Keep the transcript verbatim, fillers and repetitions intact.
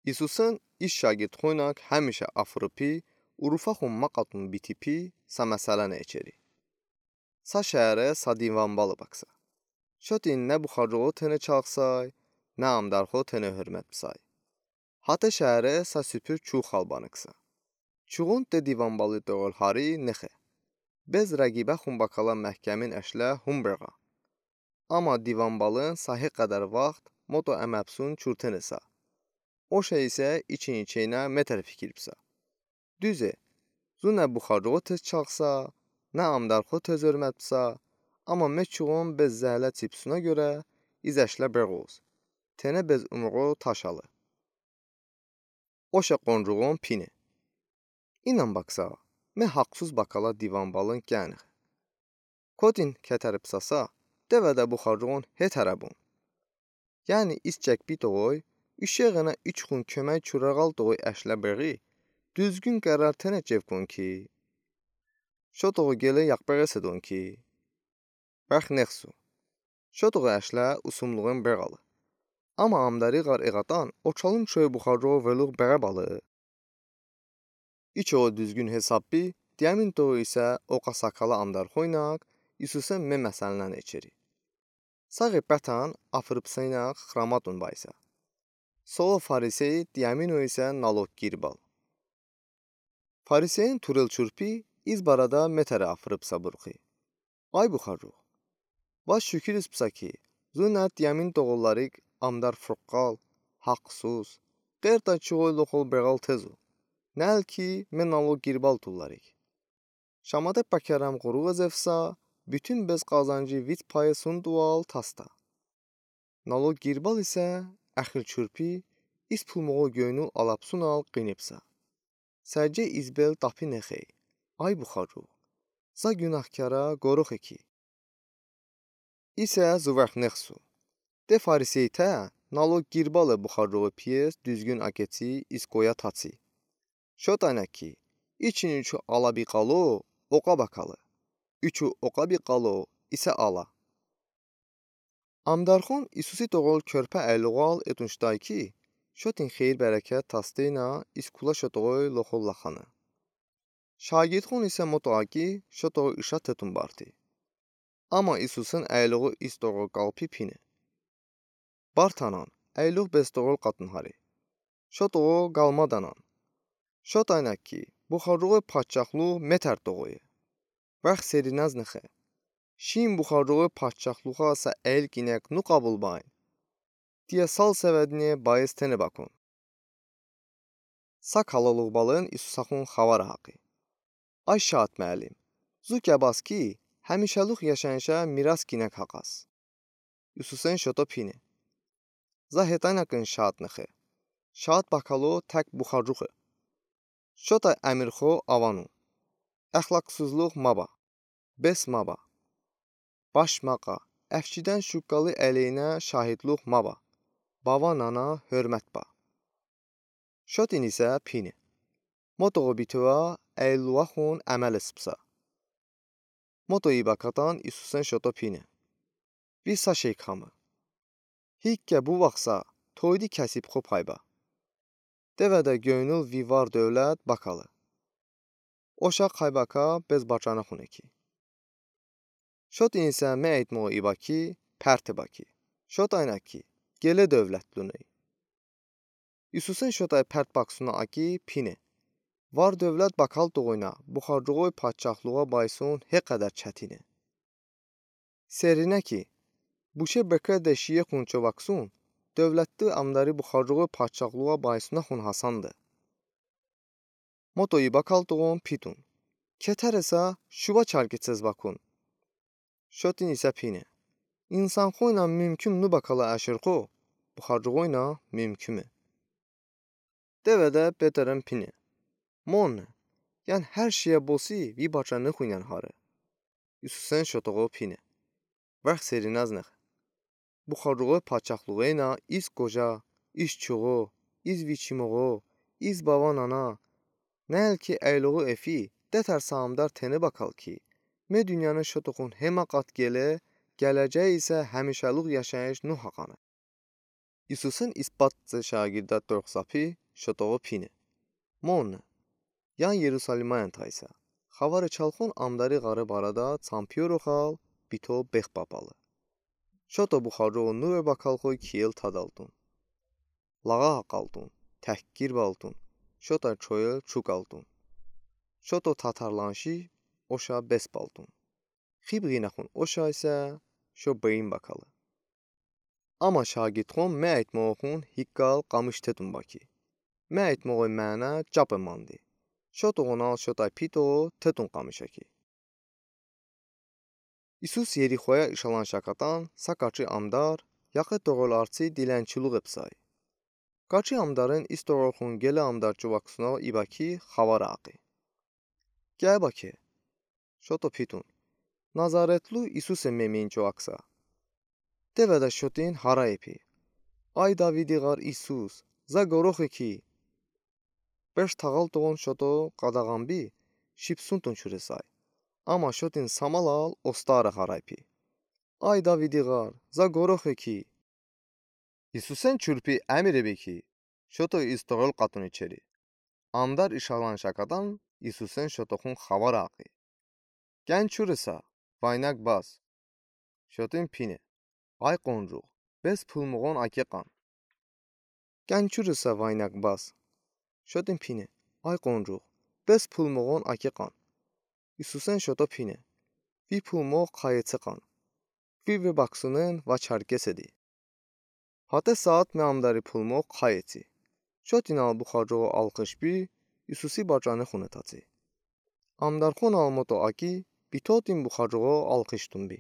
İsusen iz şagirdxoynak həmişə afırıpi, urufəxon maqətın bitipi, sa məsələni eçeri. Sa şəhrə sa divanbalı baksa. Şotin nə buxarcoğo tenə çağırsay, nə amdarxo tenə hörmət bısay. Hətə şəhrə sa süpür çuğ xalbanıksa. Çuğon de divanbalı doğul hari nıxe. Bez rəqibəxon bakala məhkəmin əşlə hum bırğa. Amma divanbalın sa he qədər vaxt moto əməpsun çurtenısa. O şey isə için-içeynə metər fikir bısa. Düze, zu nə buxarcoğo tez çağısa, nə amdarxo tez hörmət bısa, amma me çuğon bez zəhlə çipsuna görə iz əşlə bırğoz. Tenə bez umruğo taşalı. O şə qoncuğon pine. İnən baksa, me haqsız bakala divanbalın kənıx. Kotin kətəri bısasa, devədə buxarcoğon he tərəbun. Yəni iz çəkbi toğoy, üşeğənə içxun kömək çurəğal toğoy əşlə bırği, düzgün qərar tenə çevkon ki. Şo toğoy gələ yaqbırğe sedon ki. Bırx nexsu. Şo toğoy əşlə usumluğın bırğalı. Amma amdari ğar eğatan oçalın çoy buxarcoğo vırlığ bırğabalı. İçoğo düzgün hesabbi, diyəmin toğoy isə oqa sakala amdarxoynak, İsusen me məsəlnən eçeri. Saği bətən afırıpsəynaq xramatun baysa. Soğo farisey, diyəmin o isə naloq girbal. Fariseyin turıl çurpi iz barədə metərə afırıpsa burxi. Ay buxarcoğ. Bə şükür bısa ki, zu nə diyəmin toğullarıq amdar fırqqal, haqsız, qertə çuğoy loxol bırğal tezu. Nəl ki, me naloq girbal tullarıq. Şamadə bəkərəm ğuruğ ezevsa, bütün bez qazanci vit payı sun tual tasta. Naloq girbal isə əxır çurpi iz pulmoğo göynül alapsunal qinibsa. Səcə iz bel tapi nexey. Ay buxarcoğ. Za günahkara qoruxe ki. İsə zu vırx nexsu. De fariseytə naloq girbalı buxarcoğo piyes düzgün aketsi iz qoya tatsi. Şotaynak ki, için üçü ala biqalo, oqa bakalı. Üçü oqa biqalo, isə ala. Amdarxon İsusi toğul körpə əyloğal etunştay ki, şotin xeyir-bərəkət tasteynə iz kula şo toğoy loxol laxanı. Şagirdxon isə moto aki şo toğoy ışa tetun barti. Amma İsusen əyloğu iz toğoy qalpi pine. Bartanan, əyloğ bez toğul qatın hari. Şo toğoy qalmadanan. Şotaynak ki, buxarcoğoy padşahluğ metər toğoye. Vırx serinəz nıxe. Şin buxarcoğoy padşahluğa sa əyl kinək nu qabul bayn. Diyə sal səvədinə bayıs tenə bakon. Sa kaloluğbalın İsusaxon xəvərə haqi. Ay şaat məlim, zu kəbas ki, həmişəluq yaşayışə miras kinək haqas. İsusen şoto pine. Za hetaynakın şaat nıxe. Şaat bakalo tək buxarcoğe. Şotay əmirxo avanu. Əxlaqsızluq maba. Bes maba. Baş maqa, əfçidən şuqqalı əleyhinə şahidluq maba. Bava-nana hörmət ba. Şotin isə pine. Motoğo bitovə əyloğaxon əməl esıbsa. Moto ibəkatan İsusen şoto pine. Vi sa şey kamı. Hikkə bu vaxtsa toydi kəsib xo pay ba. Devədə göynül vi var-dövlət bakalı. Oşa xəy baka bez bacanıxon eki. Şotin isə me əytmoğo ibəki, pərte bəki. Şotaynak ki, gələ dövlətlunıy. İsusen şotay pərt baksuna aki pine. Var-dövlət bakal toğoynə buxarcoğoy padşahluğa baysun he qədər çətine. Serinə ki, buşe bıkə de şiye xunço baksun, dövlətli amdari buxarcoğoy padşahluğa baysunaxon hasandı. Moto ibəkal toğon pitun. Kətərəsə şubə çarki çez bakun. Şotin isə pine. İnsanxoynan mümkün nu bəkala əşırxo, buxarcoğoynan mümküme. Devədə Peterin pine. Monne, yan hər şeyə bosi vi bacanıxon yan hari. İsusen şotoğo pine. Vəx serinəz nıx. Buxarcoğoy padşahluğeyna iz qoca, iz çoğo, iz viçimoğo, iz bava-nana, nəl ki əyloğu efi, detər saamdar teni bəkal ki, me dünyanı şotoxon hemə qat gəle, gələcəyi isə həmişəluq yaşayış nu haqanı. Исусин испатци шагирдад торхсапи шотоҕу пине: Монна, ян Ерусалимаен тайса, хавари чалхун амдари ɣариб арада цампиорухал бито бех папалы. Шото бухаржоу нур бакалхуй киел тадалтун, лаға акалтун, тахкир балтун, шотай чоел чугалтун, шото татарланши оша бес балтун. Хиб гинахун ошайса, шо бейин бакалы. Ама шагирдхон ме айтмоғун хикал къамыш тетун баки. Ме айтмоғуй мана чапы манди. Шотоғунал шотай пито тетун къамыша ки. Исус Ерихоя ишалан шакатан са качи амдар яхи тоғрул арци дилен чулуғ эпсай. Качи амдарын ис тоғрулхун геле амдар чуваксуна ибаки хавар акъи. Кябаки, шото питун: Назаретлу Исусе мемин чувакса. Теведа шотин ҳарай пи: Ай Давиди ɣар Исус, за горохи ки. Беш тағал тоғон шото къадағанби шипсунтун чуресай. Ама шотин самалал остара ҳарай пи: Ай Давиди ɣар, за горохи ки. Исусен чурпи амиреби ки, шото ис тоғрул къатуни чери. Амдар ишалан шакатан Исусен шотохун хавар акъи. Кян чуреса, вайнаг бас. Шотин пине: Ай къонжуғ, бес пулмоғон акеқан. Кян чуреса, вайнаг бас. Шотин пине: Ай къонжуғ, бес пулмоғон акеқан. Исусен шото пине: Ви пулмоғ хайецеқан. Ви ве баксунен ва чаркеседи. Ҳате саат ме амдари пулмоғ хайеци. Шотинал бухаржоғу алхышби Исуси бачани хуне таци. Амдархунал мото аки, битотин бухаржоғу алхыштунби.